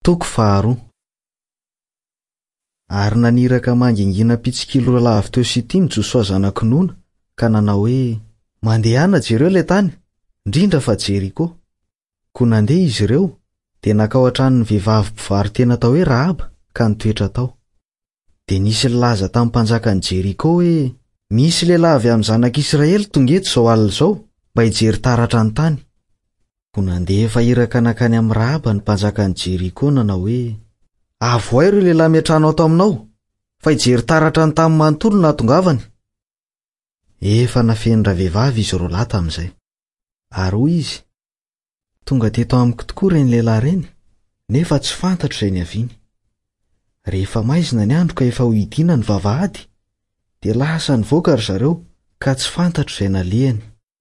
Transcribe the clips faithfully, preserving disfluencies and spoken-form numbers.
Toko faharoa. Ary naniraka mangingina mpitsikilo roa lahy avy teo Sitima Josoa zanak'i Nona ka nanao hoe: "Mandehana jereo ilay tany, indrindra fa Jeriko." Koa nandeha izy ireo, dia nankao an-tranon'ny vehivavy mpivaro-tena atao hoe Rahaba ka nitoetra tao. Dia nisy nilaza tamin'ny mpanjakan'i Jeriko hoe: "Misy lehilahy avy amin'ny zanak'Israely tonga eto izao alina izao mba hijery taratra ny tany." Koa nandefa iraka nankany amin'i Rahaba ny mpanjakan'i Jeriko nanao hoe: "Avohay ireo lehilahy miantrano ato aminao, fa hijery taratra ny tany manontolo no nahatongavany." Efa nafen'ny ravehivavy izy roa lahy tamin'izay. Ary hoy izy: "Tonga teto amiko tokoa ireny lehilahy ireny, nefa tsy fantatro izay niaviany. Rehefa maizina ny andro ka efa ho hidiana ny vavahady, dia lasa nivoaka ry zareo ka tsy fantatro izay nalehany.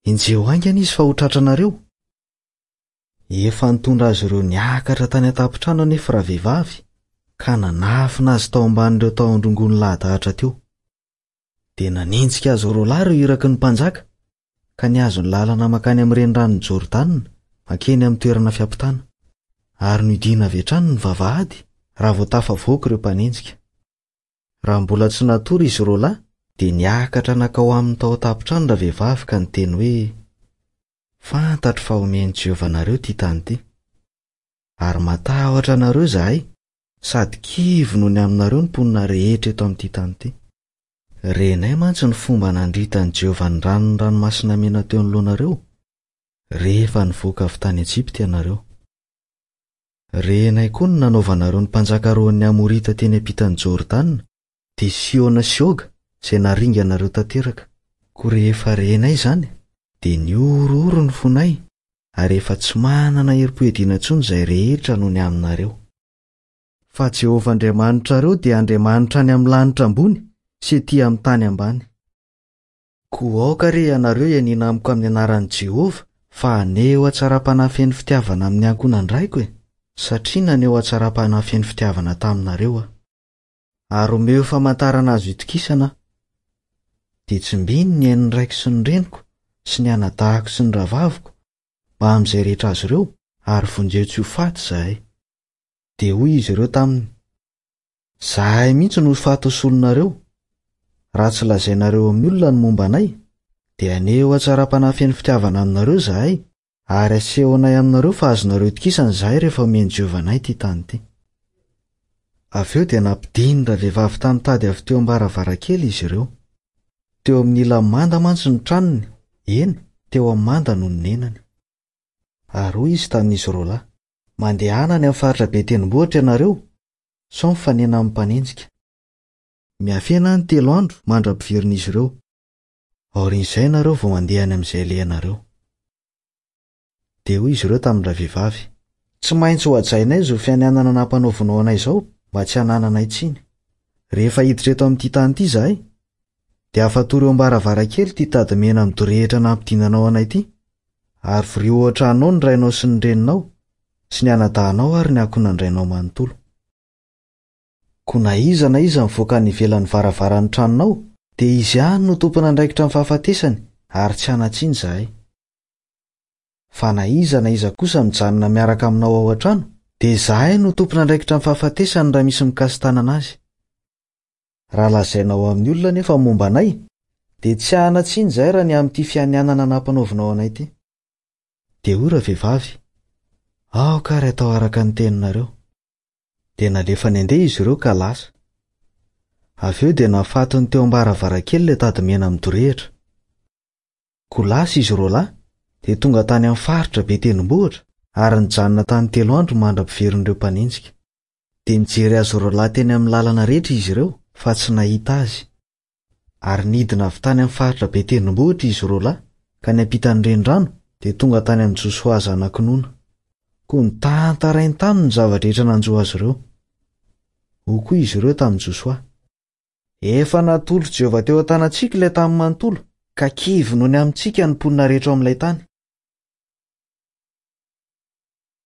Enjeho haingana izy fa ho tratranareo." Efa nitondra azy ireo niakatra tany an-tampon-trano anefa ravehivavy ka nanafina azy tao ambanin'ireo tahon-drongony lahadahatra teo. Dia nanenjika azy roa lahy ireo iraky ny mpanjaka ka nihazo ny lalana mankany amin'ny reniranon'i Jordana mankeny amin'ny toerana fiampitana. Ary nohidiana avy hatrany ny vavahady raha vao tafavoaka ireo mpanenjika. Raha mbola tsy natory izy roa lahy dia niakatra nankao aminy tao an-tampon-trano ravehivavy ka niteny hoe: "Fantatro fa omen'i Jehovah anareo ity tany ity. Ary matahotra anareo izahay sady kivy noho ny aminareo ny mponina rehetra eto amin'ity tany ity. Renay mantsy ny fomba nandritan'i Jehovah ny ranon'ny ranomasina mena teo anoloanareo rehefa nivoaka avy tany Ejipta ianareo. Renay koa ny nanaovanareo ny mpanjaka roan'ny Amorita teny ampitan'i Jordana, dia Siona sy Oga izay naringanareo tanteraka. Koa rehefa renay izany, dia nihorohoro ny fonay ary efa tsy manana herim-po hiadiana intsony izay rehetra noho ny aminareo. Fa Jehovah Andriamanitrareo dia Andriamanitra any amin'ny lanitra ambony sy ety amin'ny tany ambany. Koa aoka re ianareo hianiana amiko amin'ny anaran'i Jehovah fa haneho hatsaram-panahy feno fitiavana amin'ny ankohonan-draiko e, satria naneho hatsaram-panahy feno fitiavana taminareo aho. Ary omeo famantarana azo itokisana aho. Dia tsimbino ny ain'ny raiko sy ny reniko sy ny anadahako sy ny rahavaviko mba amin'izay rehetra azy ireo ary vonjeo tsy ho faty izahay." Dia hoy izy ireo taminy: "Izahay mihitsy no ho faty ho solonareo. Raha tsy lazainareo amin'ny olona ny momba anay, dia haneho hatsaram-panahy feno fitiavana aminareo izahay ary asehonay aminareo fa azonareo itokisana izahay rehefa omen'i Jehovah anay ity tany ity." Avy eo dia nampidiny ravehivavy tamin'ny tady avy teo am-baravarankely izy ireo. Teo amin'ny ilan'ny manda mantsy ny tranony, eny, teo amin'ny manda no nonenany. Ary hoy izy tamin'izy roa lahy: "Mandehana any amin'ny faritra be tendrombohitra ianareo, sao mifanena amin'ny mpanenjika. Miafena any telo andro mandra-piverin'izy ireo. Aorian'izay ianareo vao mandeha any amin'izay alehanareo." Dia hoy izy ireo tamin'ny ravehivavy: "Tsy maintsy ho hajainay izao fianianana nampanaovinao anay izao mba tsy hanananay tsiny. Rehefa hiditra eto amin'ity tany ity izahay, dia afatory eo am-baravarankely ity tady mena midorehitra nampidinanao anay ity, ary vorio ao an-tranonao ny rainao sy ny reninao, sy ny anadahinao ary ny ankohonan-drainao manontolo. Koa na iza na iza mivoaka any ivelan'ny varavaran'ny tranonao, dia izy ihany no tompon'andraikitra amin'ny fahafatesany ary tsy hanan-tsiny izahay. Fa na iza na iza kosa mijanona miaraka aminao ao an-trano, dia izahay no tompon'andraikitra amin'ny fahafatesany raha misy mikasi-tanana azy. Raha lazainao amin'ny olona nefa momba anay, dia tsy hanan-tsiny izahay raha ny amin'ity fianianana nampanaovinao anay ity." Dia hoy ravehivavy: "Aoka ary atao araka ny teninareo." Dia nalefany handeha izy ireo ka lasa. Avy eo dia nafatony teo am-baravarankely ilay tady mena midorehitra. Koa lasa izy roa lahy, dia tonga tany amin'ny faritra be tendrombohitra ary nijanona tany telo andro mandra-piverin'ireo mpanenjika. Dia nijery azy roa lahy teny amin'ny lalana rehetra izy ireo fa tsy nahita azy. Ary nidina avy tany amin'ny faritra be tendrombohitra izy roa lahy ka niampita ny renirano dia tonga tany amin'i Josoa zanak'i Nona. Koa nitantarainy taminy ny zava-drehetra nanjo azy ireo. Hoy koa izy ireo tamin'i Josoa: "Efa natolotr'i Jehovah teo an-tanantsika ilay tany manontolo, ka kivy noho ny amintsika ny mponina rehetra ao amin'ilay tany.